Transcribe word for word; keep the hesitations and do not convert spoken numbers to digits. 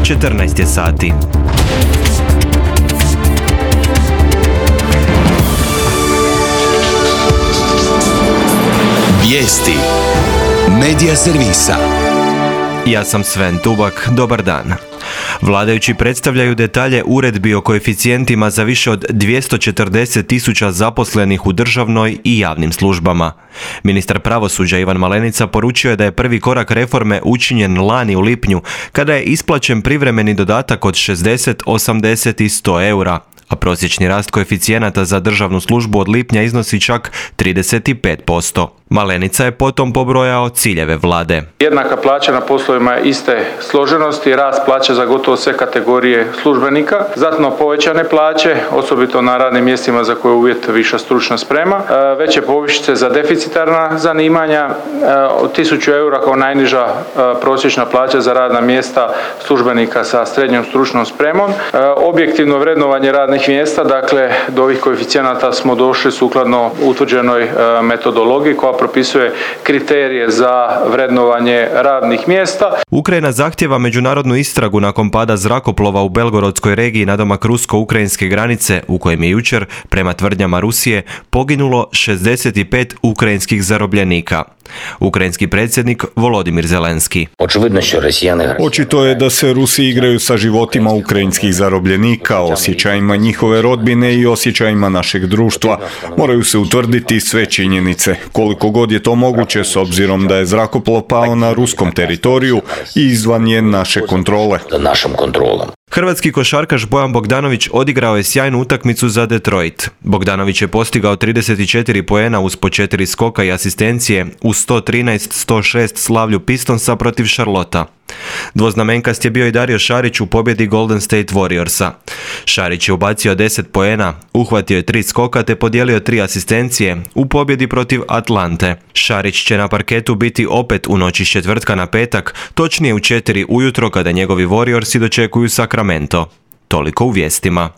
četrnaest je sati. Vijesti Medija servisa. Ja sam Sven Tubak, dobar dan. Vladajući predstavljaju detalje uredbi o koeficijentima za više od dvjesto četrdeset tisuća zaposlenih u državnoj i javnim službama. Ministar pravosuđa Ivan Malenica poručio je da je prvi korak reforme učinjen lani u lipnju, kada je isplaćen privremeni dodatak od šezdeset, osamdeset i sto eura, a prosječni rast koeficijenata za državnu službu od lipnja iznosi čak trideset pet posto. Malenica je potom pobrojao ciljeve vlade. Jednaka plaća na poslovima iste složenosti, rast plaća za gotovo sve kategorije službenika, znatno povećane plaće, osobito na radnim mjestima za koje je uvjet viša stručna sprema, veće povišice za deficitarna zanimanja, od tisuću eura kao najniža prosječna plaća za radna mjesta službenika sa srednjom stručnom spremom, objektivno vrednovanje radnih mjesta, dakle do ovih koeficijenata smo došli sukladno utvrđenoj metodologiji koja propisuje kriterije za vrednovanje radnih mjesta. Ukrajina zahtjeva međunarodnu istragu nakon pada zrakoplova u Belgorodskoj regiji nadomak rusko-ukrajinske granice, u kojem je jučer, prema tvrdnjama Rusije, poginulo šezdeset pet ukrajinskih zarobljenika. Ukrajinski predsjednik Volodimir Zelenski. Očito je da se Rusi igraju sa životima ukrajinskih zarobljenika, osjećajima njihove rodbine i osjećajima našeg društva. Moraju se utvrditi sve činjenice, koliko god je to moguće s obzirom da je zrakoplov pao na ruskom teritoriju i izvan je naše kontrole. Hrvatski košarkaš Bojan Bogdanović odigrao je sjajnu utakmicu za Detroit. Bogdanović je postigao trideset četiri poena uz po četiri skoka i asistencije u sto trinaest sto šest slavlju Pistonsa protiv Charlotta. Dvoznamenkast je bio i Dario Šarić u pobjedi Golden State Warriorsa. Šarić je ubacio deset poena, uhvatio je tri skoka te podijelio tri asistencije u pobjedi protiv Atlante. Šarić će na parketu biti opet u noći s četvrtka na petak, točnije u četiri ujutro kada njegovi Warriorsi dočekuju Sacramento. Toliko u vijestima.